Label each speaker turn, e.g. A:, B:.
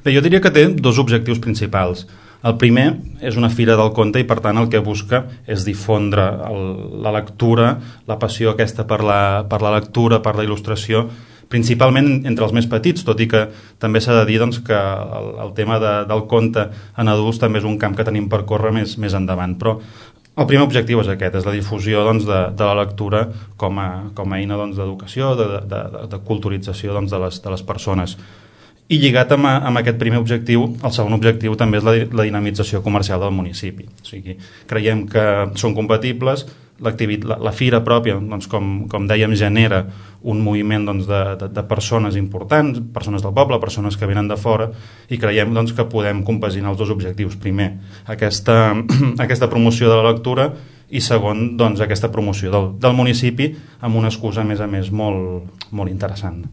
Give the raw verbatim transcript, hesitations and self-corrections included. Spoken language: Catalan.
A: Bé, jo diria que té dos objectius principals. El primer és una fira del conte i, per tant, el que busca és difondre el, la lectura, la passió aquesta per la, per la lectura, per la il·lustració, principalment entre els més petits, tot i que també s'ha de dir doncs, que el, el tema de, del conte en adults també és un camp que tenim per córrer més, més endavant. Però el primer objectiu és aquest, és la difusió doncs, de, de la lectura com a, com a eina doncs, d'educació, de, de, de, de culturització doncs, de, les, de les persones. I lligat amb, amb aquest primer objectiu, el segon objectiu també és la, la dinamització comercial del municipi. O sigui, creiem que són compatibles, la, la fira pròpia, doncs, com, com dèiem, genera un moviment doncs, de, de, de persones importants, persones del poble, persones que venen de fora, i creiem doncs, que podem compaginar els dos objectius. Primer, aquesta, aquesta promoció de la lectura, i segon, doncs, aquesta promoció del, del municipi amb una excusa, a més a més, molt, molt interessant.